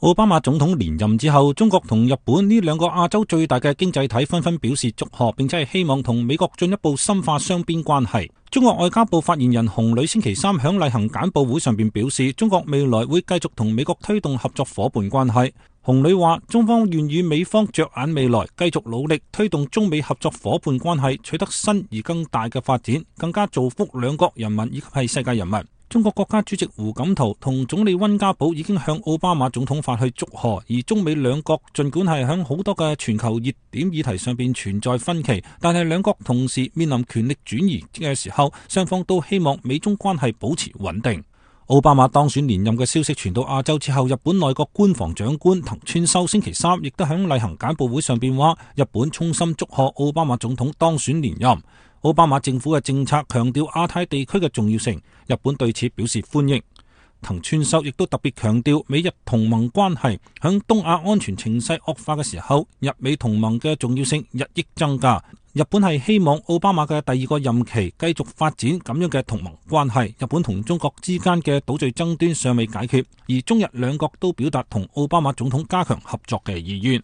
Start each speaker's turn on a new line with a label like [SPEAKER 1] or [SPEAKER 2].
[SPEAKER 1] 奧巴馬總統連任之後，中國同日本呢兩個亞洲最大嘅經濟體紛紛表示祝賀，並且係希望同美國進一步深化雙邊關係。中國外交部發言人洪磊星期三響例行簡報會上邊表示，中國未來會繼續同美國推動合作夥伴關係。洪磊話，中方願與美方着眼未來，繼續努力推動中美合作夥伴關係取得新而更大嘅發展，更加造福兩國人民以及係世界人民。中國國家主席胡錦濤同總理溫家寶已經向奧巴馬總統發去祝賀，而中美兩國盡管係響好多嘅全球熱點議題上邊存在分歧，但係兩國同時面臨權力轉移嘅時候，雙方都希望美中關係保持穩定。奧巴馬當選連任嘅消息傳到亞洲之後，日本內閣官房長官藤村修星期三亦都響例行簡報會上邊話，日本衷心祝賀奧巴馬總統當選連任。奧巴馬政府嘅政策強調亞太地區嘅重要性，日本對此表示歡迎。藤村修亦都特別強調美日同盟關係響東亞安全情勢惡化嘅時候，日美同盟嘅重要性日益增加。日本係希望奧巴馬嘅第二個任期繼續發展咁樣嘅同盟關係。日本同中國之間嘅島嶼爭端尚未解決，而中日兩國都表達同奧巴馬總統加強合作嘅意願。